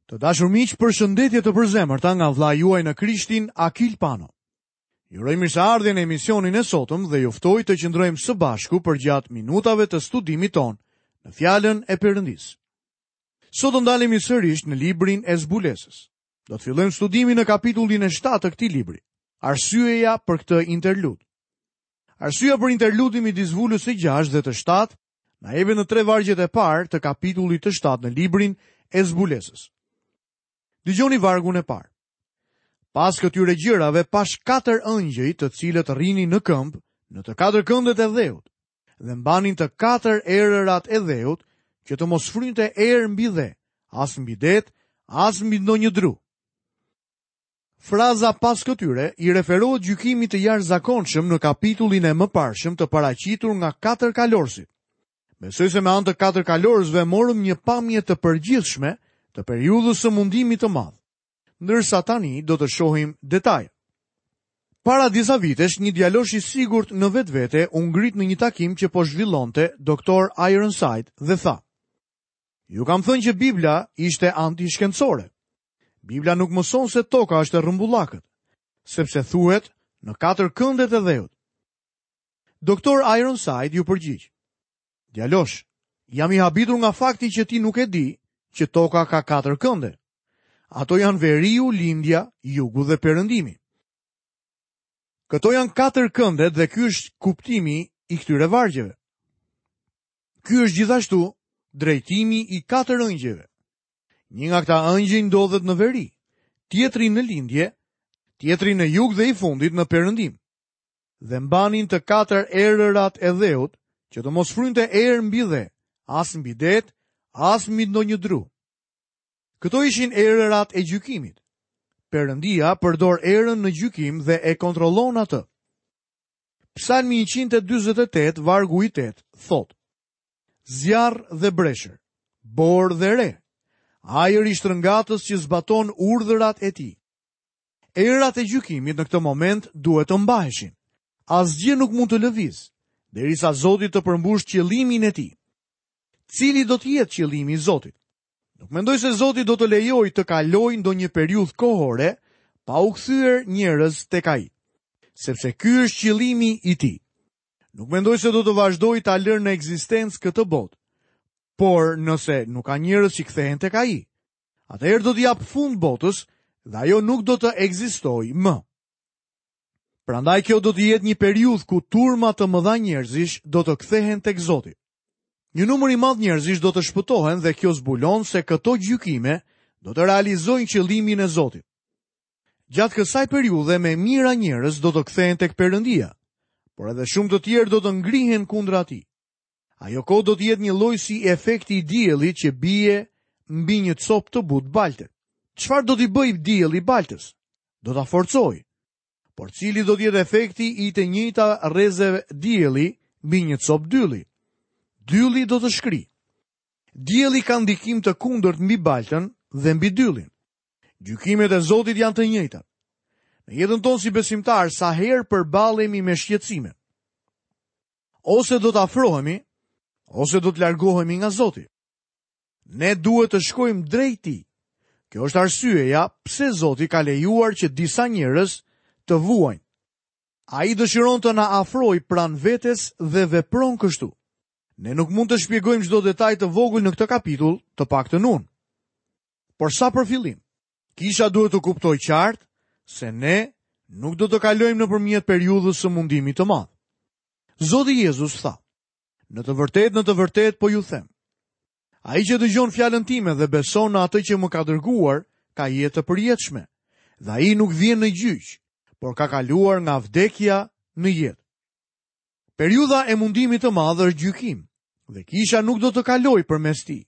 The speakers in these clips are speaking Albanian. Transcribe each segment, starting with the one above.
Të dashur miq, përshëndetje të përzemërta nga vëllai juaj në Krishtin, Akil Pano. Ju uroj mirëseardhje në emisionin e sotëm dhe ju ftoj të qëndrojmë së bashku përgjatë minutave të studimit tonë në Fjalën e Perëndisë. Sot do ndalemi sërish në librin e Zbulesës. Do të fillojmë studimin në kapitullin e 7 të këtij libri. Arsyeja për këtë interlud. Arsyeja për interludin midis vulës së 6 dhe të 7 Na jepet në tre vargjet e parë të kapitullit të 7 në librin e Zbulesës. Dëgjoni vargun e parë. Pas këtyre gjërave pashë katër ëngjëj të cilët rrinin në këmbë në të katër këndet e dheut dhe mbanin të katër erërat e dheut që të mos frynte erë mbi dhe, as mbi det, as mbi ndonjë dru. Fraza pas këtyre i referohet gjykimit të jashtëzakonshëm në kapitullin e mëparshëm të paraqitur nga katër kalorësit. Besoj se me anë të katër kalorësve morëm një pamje të përgjithshme të periudhës së mundimit të madh, ndërsa tani do të shohim detaje. Para disa vitesh, një djalosh i sigurt në vetvete u ngrit në një takim që po zhvillonte Dr. Ironside dhe tha: Ju kam thënë që Bibla ishte antishkencore. Bibla nuk mëson se toka është e rrumbullakët, sepse thuhet në katër këndet e dheut. Doktor Ironside iu përgjigj. Djalosh, jam i habitur nga fakti që ti nuk e di që toka ka katër kënde. Ato janë veriu, lindja, jugu dhe perëndimi. Këto janë katër këndet dhe ky është kuptimi i këtyre vargjeve. Ky është gjithashtu drejtimi i katër ëngjëjve. Një nga këta ëngjëj ndodhet në veri, tjetri në lindje, tjetri në jug dhe i fundit në perëndim. Dhe mbanin të katër erërat e dheut, që të mos frynte erë mbi dhe, as mbi det, as mbi ndonjë dru. Këto ishin erërat e gjykimit. Perëndia përdor erën në gjykim dhe e kontrollon atë. Psalmi 148, vargu i 8, thotë: Zjarr dhe breshër, borë dhe re, ajër i shtrëngatës që zbaton urdhërat e tij. Erërat e gjykimit në këtë moment duhet të mbaheshin. Asgjë nuk mund të lëvizë, derisa Zoti të përmbushë qëllimin e tij. Cili do të jetë qëllimi i Zotit? Nuk mendoj se Zoti do të lejojë të kalojë ndonjë periudhë kohore pa u kthyer njerëz tek ai, sepse ky është qëllimi i tij. Nuk mendoj se do të vazhdojë ta lërë në ekzistencë këtë botë. Por nëse nuk ka njerëz që kthehen tek ai, atëherë do t'i japë fund botës dhe ajo nuk do të ekzistojë më. Prandaj kjo do të jetë një periudhë ku turma të mëdha njerëzish do të kthehen tek Zoti. Një numër i madh njerëzish do të shpëtohen dhe kjo zbulon se këto gjykime do të realizojnë qëllimin e Zotit. Gjatë kësaj periudhe me mijëra njerëz do të kthehen tek Perëndia, por edhe shumë të tjerë do të ngrihen kundra tij. Ajo kohë do të jetë një lloj si efekti i diellit që bie mbi një copë të butë balte. Çfarë do t'i bëjë dielli baltës? Do ta forcojë. Por cili do të jetë efekti i të njëjta rreze dielli mbi një copë dylli? Dylli do të shkrijë. Dielli ka ndikim të kundërt mbi baltën dhe mbi dyllin. Gjykimet e Zotit janë të njëjta. Në jetën tonë si besimtarë, sa herë përballemi me shqetësime, ose do të afrohemi, ose do të largohemi nga Zoti. Ne duhet të shkojmë drejt tij. Kjo është arsyeja pse Zoti ka lejuar që disa njerëz të vuajnë. Ai dëshiron të na afrojë pranë vetes dhe vepron kështu. Ne nuk mund të shpjegojmë çdo detaj të vogël në këtë kapitull, të paktën unë. Por sa për fillim, kisha duhet të kuptojë qartë se ne nuk do të kalojmë nëpërmjet periudhës së mundimit të madh. Zoti Jezus tha, në të vërtetë, në të vërtetë po ju them. Ai që dëgjon fjalën time dhe beson në atë që më ka dërguar, ka jetë të përjetshme, dhe ai nuk vjen në gjyq, por ka kaluar nga vdekja në jetë. Periudha e mundimit të madh është gjykim, dhe kisha nuk do të kalojë përmes tij.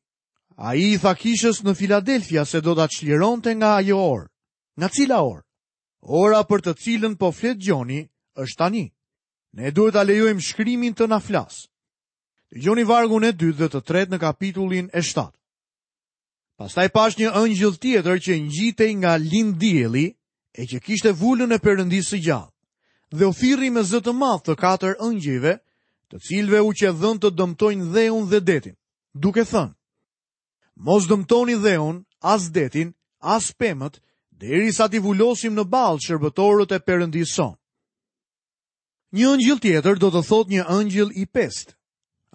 Ai i tha kishës në Filadelfia se do ta çlironte nga ajo orë. Nga cila orë? Ora për të cilën po flet Gjoni është tani. Ne duhet ta lejojmë shkrimin të na flasë. Dëgjoni vargun e dytë dhe të tretë në kapitullin e 7. Pastaj pashë një ëngjëll tjetër që ngjitej nga linddielli e që kishte vulën e Perëndisë së gjallë. Dhe u thirri me zë të madh të katër ëngjëjve, të cilëve u qe dhënë të dëmtojnë dheun dhe detin, duke thënë: Mos dëmtoni dheun, as detin, as pemët, derisa t'i vulosim në ballë shërbëtorët e Perëndisë sonë. Një ëngjëll tjetër do të thotë një ëngjëll i pestë.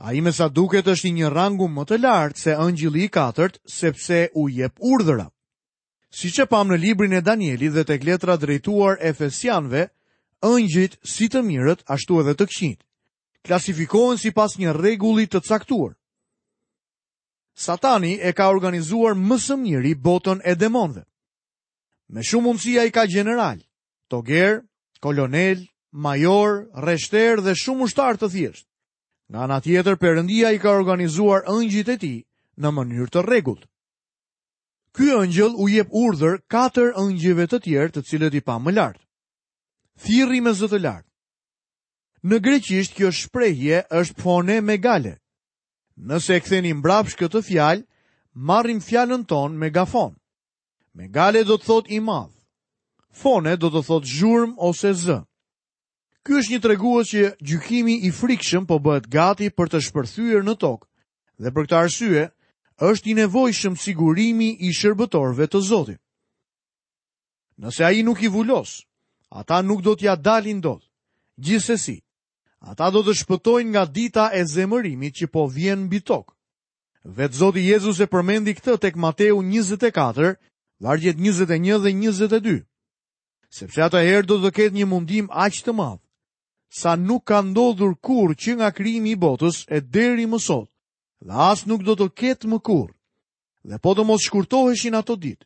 Ai me sa duket është i një rangu më të lartë se ëngjëlli i katërt, sepse u jep urdhëra. Siç e pamë në librin e Danielit dhe tek letra drejtuar Efesianëve, ëngjëjt si të mirët ashtu edhe të këqijtë, klasifikohen sipas një rregulli të caktuar. Satani e ka organizuar më së miri botën e demonëve. Me shumë mundësi ai ka gjeneralë, togerë, kolonelë, majorë, rreshterë dhe shumë ushtarë të thjeshtë. Nga ana tjetër, Perëndia i ka organizuar ëngjëjt e tij në mënyrë të rregullt. Ky ëngjëll u jep urdhër katër ëngjëjve të tjerë të cilët i pamë më lart. Thirri me zë të lartë. Në greqisht kjo shprehje është fone megale. Nëse e ktheni mbrapsht këtë fjalë, marrim fjalën tonë megafon. Megale do të thotë i madh. Fone do të thotë zhurmë ose zë. Ky është një tregues që gjykimi i frikshëm po bëhet gati për të shpërthyer në tokë dhe për këtë arsye është i nevojshëm sigurimi i shërbëtorëve të Zotit. Nëse ai nuk i vulos, ata nuk do t'ia dalin dot. Gjithsesi, ata do të shpëtojnë nga dita e zemërimit që po vjen mbi tokë. Vetë Zoti Jezus e përmendi këtë tek Mateu 24, vargjet 21 dhe 22. Sepse atëherë do të ketë një mundim aq të madh, sa nuk ka ndodhur kurrë që nga krijimi i botës e deri më sot, dhe as nuk do të ketë më kurrë. Dhe po të mos shkurtoheshin ato ditë,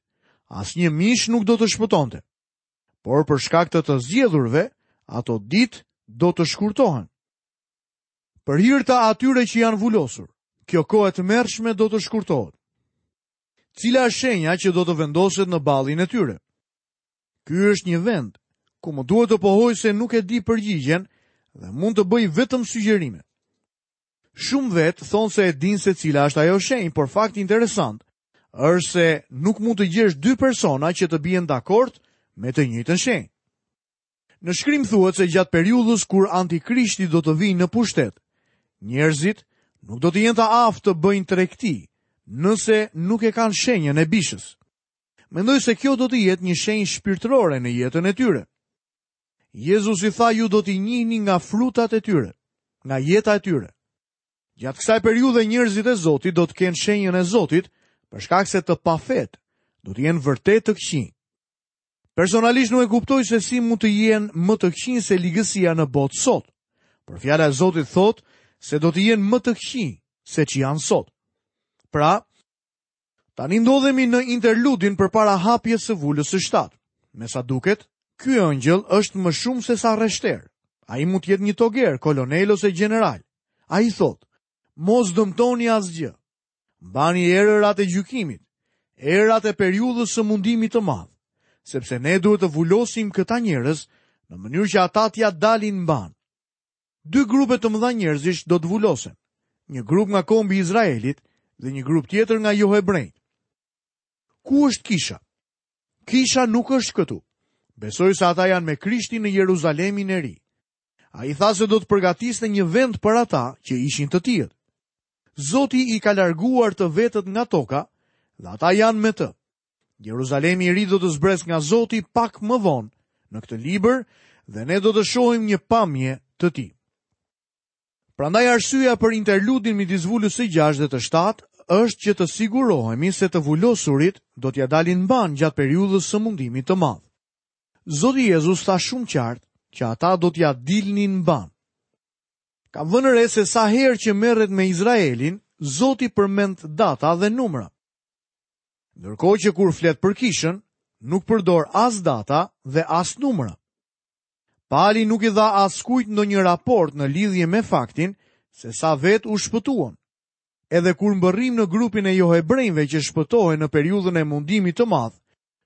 asnjë mish nuk do të shpëtonte. Por për shkak të të zgjedhurve, ato ditë do të shkurtohen. Për hir të atyre që janë vulosur, kjo kohë e tmerrshme do të shkurtohet. Cila është shenja që do të vendoset në ballin e tyre? Ky është një vend ku më duhet të pohoj se nuk e di përgjigjen dhe mund të bëj vetëm sugjerime. Shumë vetë thonë se e dinë se cila është ajo shenjë, por fakti interesant është se nuk mund të gjesh dy persona që të bien dakord me të njëjtën shenjë. Në shkrim thuhet se gjatë periudhës kur antikrishti do të vijë në pushtet, njerëzit nuk do të jenë të aftë të bëjnë tregti nëse nuk e kanë shenjën e bishës. Mendoj se kjo do të jetë një shenjë shpirtërore në jetën e tyre. Jezusi tha ju do t'i njihni nga frutat e tyre, nga jeta e tyre. Gjatë kësaj periudhe njerëzit e Zotit do të kenë shenjën e Zotit, për shkak se të pafetë do të jenë vërtet të këqinj. Personalisht nuk e kuptoj se si mund të jenë më të këqinj se ligësia në botë sot. Por fjala e Zotit thotë se do të jenë më të këqinj se ç'janë sot. Pra, tani ndodhemi në interludin përpara hapjes së vulës së shtatë. Me sa duket, ky ëngjëll është më shumë se sa rreshter. Ai mund të jetë një toger, kolonel ose gjeneral. Ai thotë, mos dëmtoni asgjë. Mbani erërat e gjykimit, erërat e periudhës së mundimit të madh, sepse ne duhet të vulosim këta njerëz në mënyrë që ata t'ia dalin mbanë. Dy grupe të mëdha njerëzish do të vulosen, një grup nga kombi i Izraelit dhe një grup tjetër nga johebrenjtë. Ku është kisha? Kisha nuk është këtu. Besoj se ata janë me Krishtin në Jeruzalemin e Ri. Ai tha se do të përgatiste një vend për ata që ishin të tijët. Zoti i ka larguar të vetët nga toka dhe ata janë me të. Jeruzalemi i ri do të zbresë nga Zoti pak më vonë në këtë libër dhe ne do të shohim një pamje të tij. Prandaj arsyeja për interludin midis vulës së 6 dhe të 7 është që të sigurohemi se të vulosurit do t'ia dalin mbanë gjatë periudhës së mundimit të madh. Zoti Jezus tha shumë qartë që ata do t'ia dilnin mbanë. Kam vënë re se sa herë që merret me Izraelin, Zoti përmend data dhe numra. Ndërkohë që kur flet për kishën, nuk përdor as data dhe as numra. Pali nuk i dha askujt ndonjë raport në lidhje me faktin se sa vetë u shpëtuan. Edhe kur mbërrijmë në grupin e johebrenjve që shpëtohen në periudhën e mundimit të madh,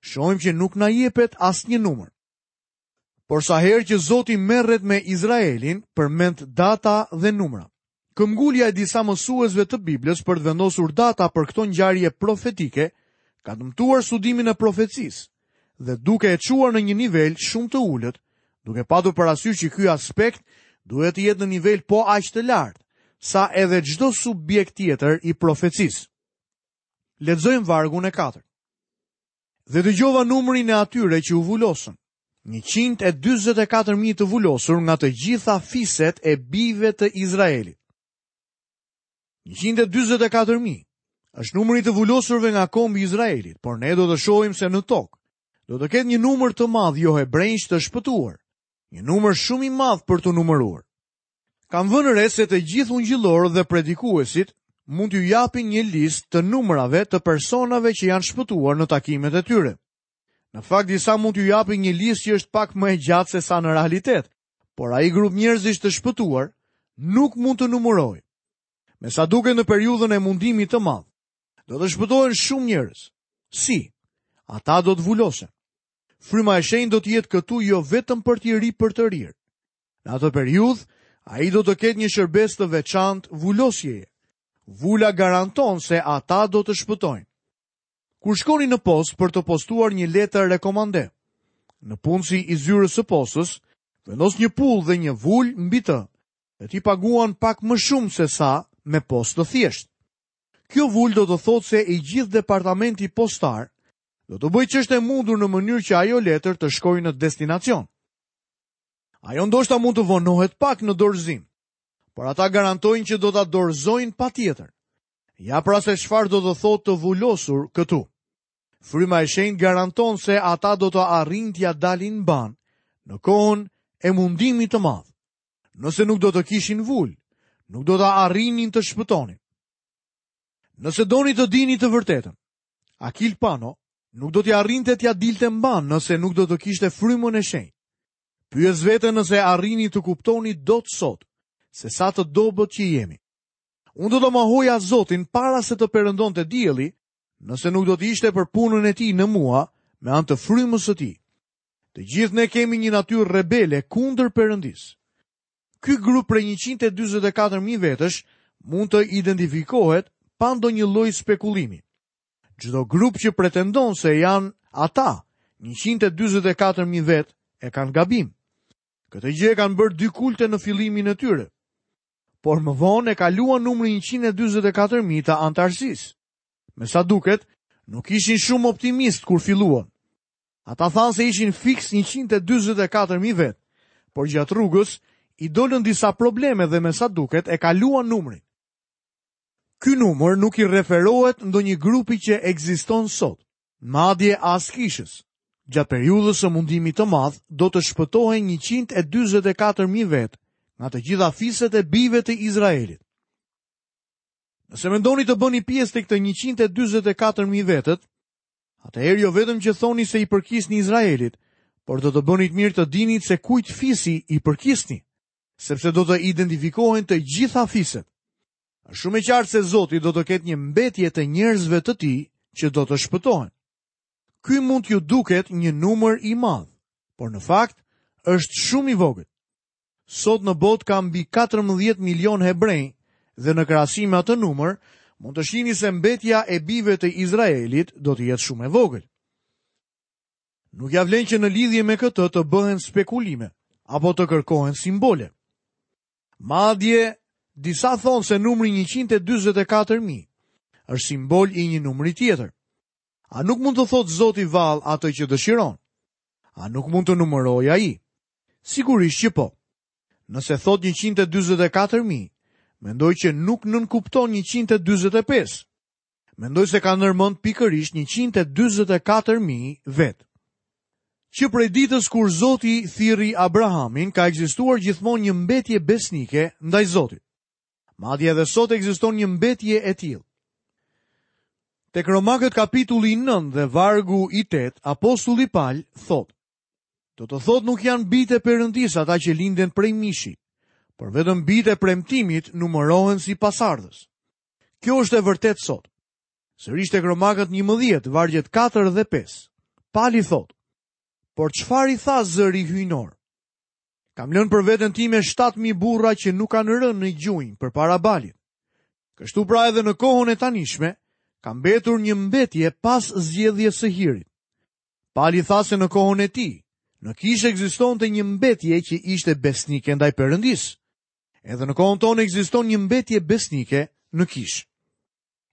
shohim që nuk na jepet asnjë numër. Por sa herë që Zoti merret me Izraelin, përmend data dhe numra. Këmbëngulja e disa mësuesve të Biblës për të vendosur data për këto ngjarje profetike ka dëmtuar studimin e profecisë dhe duke e çuar në një nivel shumë të ulët, duke patur parasysh që ky aspekt duhet të jetë në nivel po aq të lartë sa edhe çdo subjekt tjetër i profecisë. Lexojmë vargun e katërt. Dhe dëgjova numrin e atyre që u vulosën. 144.000 të vulosur nga të gjitha fiset e bijve të Izraelit. 144.000 është numri i të vulosurve nga kombi i Izraelit, por ne do të shohim se në tokë do të ketë një numër të madh johebrenjsh të shpëtuar, një numër shumë i madh për t'u numëruar. Kam vënë re se të gjithë ungjillorët dhe predikuesit mund t'ju japin një listë të numrave të personave që janë shpëtuar në takimet e tyre. Në fakt disa mund t'ju japin një listë që është pak më e gjatë se sa në realitet, por ai grup njerëzish të shpëtuar nuk mund të numërohej. Me sa duket në periudhën e mundimit të madh, do të shpëtohen shumë njerëz. Si? Ata do të vulosen. Fryma e shenjtë do të jetë këtu jo vetëm për t'i ripërtërirë, Në atë periudhë, ai do të ketë një shërbesë të veçantë vulosjeje. Vula garanton se ata do të shpëtojnë. Kur shkoni në postë për të postuar një letër rekomande, nëpunësi i zyrës së postës vendos një pullë dhe një vulë mbi të, dhe ti paguan pak më shumë se sa me postë të thjeshtë. Kjo vulë do të thotë se i gjithë departamenti postar do të bëjë ç'është e mundur në mënyrë që ajo letër të shkojë në destinacion. Ajo ndoshta mund të vonohet pak në dorëzim, por ata garantojnë që do ta dorëzojnë patjetër. Ja pra se çfarë do të thotë të vulosur këtu. Fryma e shenjtë garanton se ata do të arrijnë t'ia dalin mbanë në kohën e mundimit të madh. Nëse nuk do të kishin vulë, nuk do të arrinin të shpëtonin. Nëse doni të dini të vërtetën, Akil Pano nuk do të arrinte t'ia dilte mbanë nëse nuk do të kishte frymën e shenjtë. Pyes veten nëse arrini të kuptoni dot sot se sa të dobët që jemi. Unë do të mohoja Zotin para se të perëndonte dielli, nëse nuk do të ishte për punën e tij në mua me anë të frymës së tij. Të gjithë ne kemi një natyrë rebele kundër Perëndisë. Ky grup prej 144.000 vetësh mund të identifikohet pa ndonjë lloj spekulimi. Çdo grup që pretendon se janë ata 144.000 vetë e kanë gabim. Këtë gjë e kanë bërë dy kulte në fillimin e tyre. Por më vonë e kaluan numrin 144.000 të anëtarësisë. Me sa duket, nuk ishin shumë optimistë kur filluan. Ata thanë se ishin fiks 144.000 vetë, por gjatë rrugës i dolën disa probleme dhe me sa duket e kaluan numrin. Ky numër nuk i referohet ndonjë grupi që ekziston sot, madje as kishës. Gjatë periudhës së mundimit të madh do të shpëtohen 144.000 vetë nga të gjitha fiset e bijve të Izraelit. Nëse mendoni të bëni pjesë tek të 144.000 vetët, Atëherë jo vetëm që thoni se i përkisni Izraelit, por do të bënit mirë të dinit se kujt fisi i përkisni, sepse do të identifikohen të gjitha fiset. Është shumë e qartë se Zoti do të ketë një mbetje të njerëzve të tij që do të shpëtohen. Ky mund t'ju duket një numër i madh, por në fakt është shumë i vogël. Sot në botë ka mbi 14 milionë hebrenj dhe në krahasim me atë numër, mund të shihni se mbetja e bijve të Izraelit do të jetë shumë e vogël. Nuk ia vlen që në lidhje me këtë të bëhen spekulime apo të kërkohen simbole. Madje disa thonë se numri 144.000 është simbol i një numri tjetër. A nuk mund të thotë Zoti vallë atë që dëshiron? A nuk mund të numërojë ai? Sigurisht që po. Nëse thotë 144.000, mendoj që nuk nënkupton 145. Mendoj se ka ndërmend pikërisht 144.000 vetë. Që prej ditës kur Zoti thirri Abrahamin, ka ekzistuar gjithmonë një mbetje besnike ndaj Zotit. Madje edhe sot ekziston një mbetje e tillë. Tek Romakët kapitulli 9 dhe vargu i 8, apostulli Pal thotë: Do të thotë nuk janë bijtë e Perëndisë ata që linden prej mishit, por vetëm bijtë e premtimit numërohen si pasardhës. Kjo është e vërtetë sot. Sërish tek Romakët 11, vargjet 4 dhe 5. Pali thotë, por çfarë i tha zëri hyjnor? Kam lënë për veten time 7000 burra që nuk kanë rënë në gjunjë përpara Balit. Kështu pra edhe në kohën e tanishme, ka mbetur një mbetje pas zgjedhjes së hirit. Pali tha se në kohën e tij, në kishë ekzistonte një mbetje që ishte besnike ndaj Perëndisë. Edhe në kohën tonë ekziston një mbetje besnike në kishë.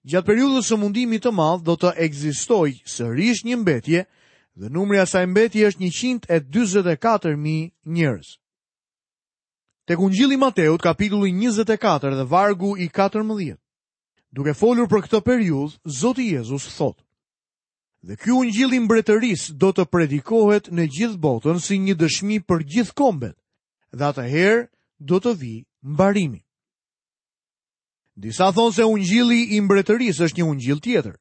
Gjatë periudhës së mundimit të madh do të ekzistojë sërish një mbetje dhe numri i asaj mbetje është 144.000 njerëz. Tek Ungjilli i Mateut, kapitulli 24 dhe vargu i 14. Duke folur për këtë periudhë, Zoti Jezus thotë: Dhe ky ungjill i mbretërisë do të predikohet në gjithë botën si një dëshmi për gjithë kombet, dhe atëherë do të vijë mbarimi. Disa thonë se ungjilli i mbretërisë është një ungjill tjetër,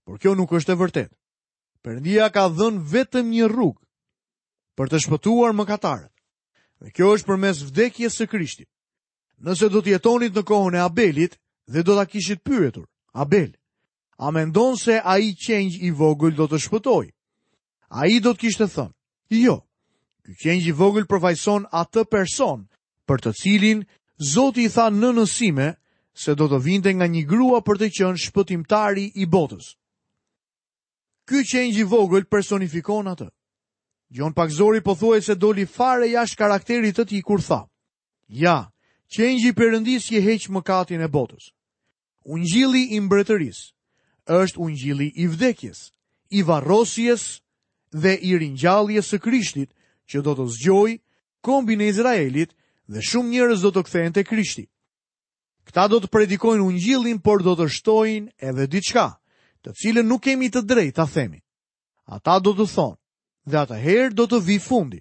por kjo nuk është e vërtetë. Perëndia ka dhënë vetëm një rrugë për të shpëtuar mëkatarët. Dhe kjo është përmes vdekjes së Krishtit. Nëse do të jetonit në kohën e Abelit dhe do ta kishit pyetur, Abel, a mendon se ai qengj i vogël do të shpëtojë? Ai do të kishte thënë, jo. Ky qengj i vogël përfaqëson atë person për të cilin Zoti i tha nënës sime se do të vinte nga një grua për të qenë shpëtimtari i botës. Ky qengj i vogël personifikon atë. Gjon Pagëzori pothuajse doli fare jashtë karakterit të tij kur tha: Ja, qengji i Perëndisë që heq mëkatin e botës. Ungjilli i mbretërisë është ungjilli i vdekjes, i varrosjes dhe i ringjalljes së Krishtit që do të zgjojë kombin e Izraelit dhe shumë njerëz do të kthehen te Krishti. Këta do të predikojnë ungjillin, por do të shtojnë edhe diçka, të cilën nuk kemi të drejtë ta themi. Ata do të thonë, dhe atëherë do të vijë fundi.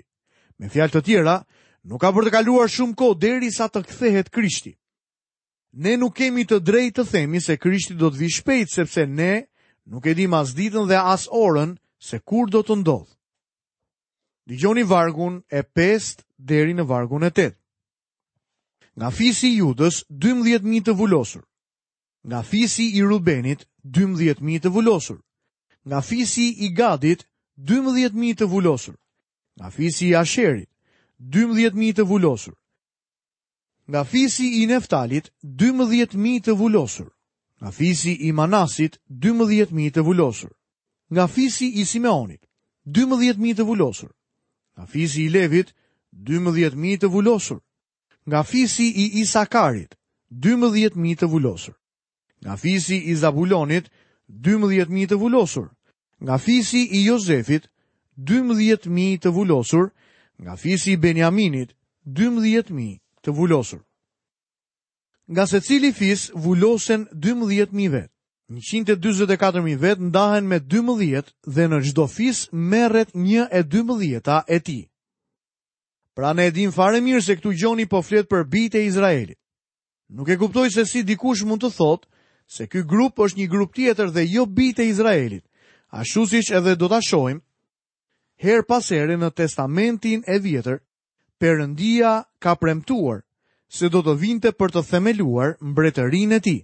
Me fjalë të tjera, nuk ka për të kaluar shumë kohë derisa të kthehet Krishti. Ne nuk kemi të drejtë të themi se Krishti do të vijë shpejt, sepse ne nuk e dimë as ditën dhe as orën se kur do të ndodhë. Dëgjoni vargun e 5 deri në vargun e 8. Nga fisi i Judës, 12.000 të vulosur. Nga fisi i Rubenit, 12.000 të vulosur. Nga fisi i Gadit, 12.000 të vulosur. Nga fisi i Asherit, 12.000 të vulosur. Nga fisi i Neftalit, 12.000 të vulosur. Nga fisi i Manasit, 12.000 të vulosur. Nga fisi i Simeonit, 12.000 të vulosur. Nga fisi i Levit, 12.000 të vulosur. Nga fisi i Isakarit, 12.000 të vulosur. Nga fisi i Zabulonit, 12.000 të vulosur. Nga fisi i Jozefit, 12.000 të vulosur. Nga fisi i Benjaminit, 12.000 të vulosur. Nga secili fis vulosen 12.000 vetë. 144.000 vetë ndahen me 12 dhe në çdo fis merret një e dymbëdhjeta e tij. Pra ne e dimë fare mirë se këtu Gjoni po flet për bijtë e Izraelit. Nuk e kuptoj se si dikush mund të thotë se ky grup është një grup tjetër dhe jo bijtë e Izraelit, ashtu siç edhe do ta shohim herë pas here në Testamentin e Vjetër, Perëndia ka premtuar se do të vinte për të themeluar mbretërinë e tij.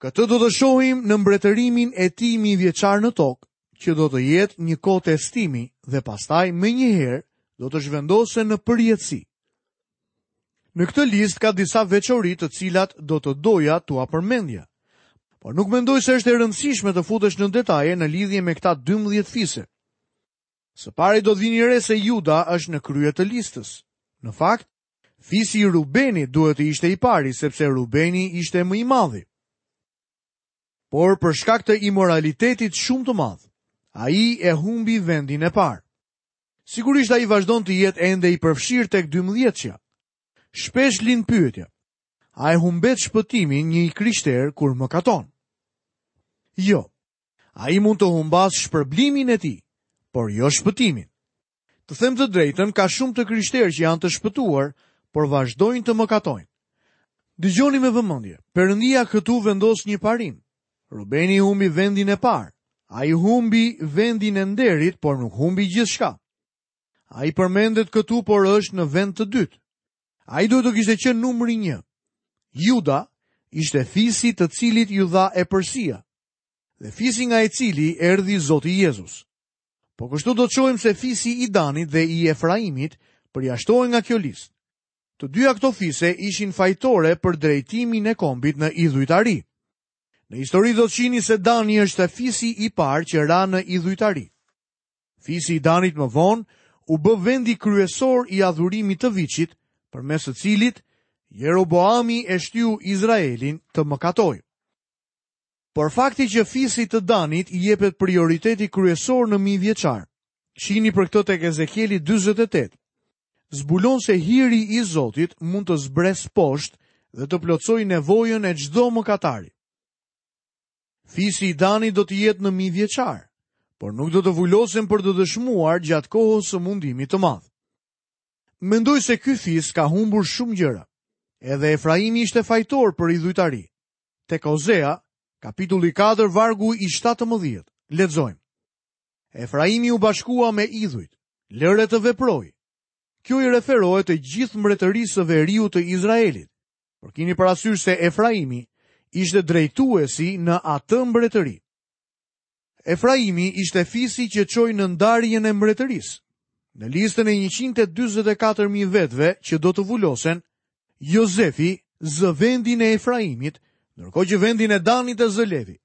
Këtë do të shohim në mbretërimin e tij mijëvjeçar në tokë, që do të jetë një kohë testimi dhe pastaj menjëherë do të zhvendosen në përjetësi. Në këtë listë ka disa veçori të cilat do të doja t'ua përmendja. Por nuk mendoj se është e rëndësishme të futesh në detaje në lidhje me këta 12 fise. Së pari do të vini re se Juda është në krye të listës. Në fakt, fisi i Rubenit duhet të ishte i pari, sepse Rubeni ishte më i madhi. Por për shkak të imoralitetit shumë të madh, ai e humbi vendin e parë. Sigurisht ai vazhdon të jetë ende i përfshirë tek dymbëdhjetëshja. Shpesh lind pyetja, a e humbet shpëtimin një i krishterë kur mëkaton? Jo. Ai mund të humbasë shpërblimin e tij, por jo shpëtimin. Të them të drejtën, ka shumë të krishterë që janë të shpëtuar, por vazhdojnë të mëkatojnë. Dëgjoni me vëmendje. Perëndia këtu vendos një parim. Rubeni humbi vendin e parë. Ai humbi vendin e nderit, por nuk humbi gjithçka. Ai përmendet këtu, por është në vend të dytë. Ai duhet të kishte qenë numri 1. Juda ishte fisi të cilit iu dha epërsia dhe fisi nga i cili erdhi Zoti Jezus. Po kështu do të shohim se fisi i Danit dhe i Efraimit përjashtohen nga kjo listë. Të dyja këto fise ishin fajtore për drejtimin e kombit në idhujtari. Në histori do të shihni se Dani është fisi i parë që ra në idhujtari. Fisi i Danit më vonë u bë vendi kryesor i adhurimit të viçit, përmes së cilit Jeroboami e shtyu Izraelin të mëkatojë. Por fakti që fisit të Danit i jepet prioriteti kryesor në mijëvjeçar, shihni për këtë tek Ezekieli 48, zbulon se hiri i Zotit mund të zbresë poshtë dhe të plotësojë nevojën e çdo mëkatari. Fisi i Danit do të jetë në mijëvjeçar, por nuk do të vulosen për të dëshmuar gjatë kohës së mundimit të madh. Mendoj se ky fis ka humbur shumë gjëra. Edhe Efraimi ishte fajtor për idhujtari. Tek Ozea, kapitulli 4, vargu i 17, lexojmë. Efraimi u bashkua me idhujt, lëre të veprojë. Kjo i referohet të gjithë mbretërisë së veriut të Izraelit. Por kini parasysh se Efraimi ishte drejtuesi në atë mbretëri. Efraimi ishte fisi që çoi në ndarjen e mbretërisë. Në listën e 144.000 vetëve që do të vulosen, Jozefi zë vendin e Efraimit, ndërkohë që vendin e Danit e zë Levi.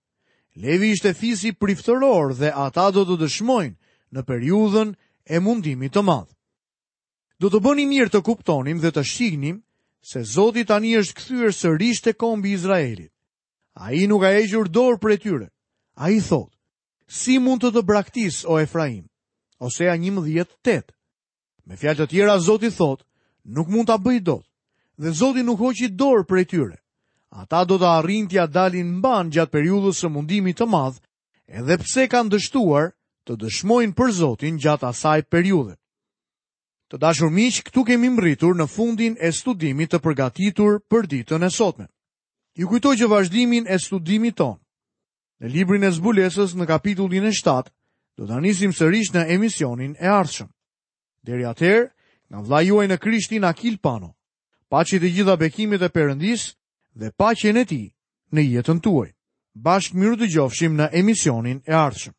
Levi ishte fisi priftëror dhe ata do të dëshmojnë në periudhën e mundimit të madh. Do të bënim mirë të kuptonim dhe të shihnim se Zoti tani është kthyer sërish te kombi i Izraelit. Ai nuk ka hequr dorë prej tyre. Ai thotë, si mund të të braktis, o Efraim? Osea 11, 8. Me fjalë të tjera, Zoti thotë, nuk mund ta bëj dot. Dhe Zoti nuk hoqi dorë prej tyre. Ata do të arrijnë t'ia dalin mbanë gjatë periudhës së mundimit të madh, edhe pse kanë dështuar të dëshmojnë për Zotin gjatë asaj periudhe. Të dashur miq, këtu kemi mbërritur në fundin e studimit të përgatitur për ditën e sotme. Ju kujtoj që vazhdimin e studimit tonë në librin e Zbulesës në kapitullin e 7 do ta nisim sërish në emisionin e ardhshëm. Deri atëherë, nga vëllai juaj në Krishtin Akil Pano. Paçi të gjitha bekimet e Perëndisë dhe paqen e tij në jetën tuaj. Bashkë mirudëgjofshim në emisionin e ardhshëm.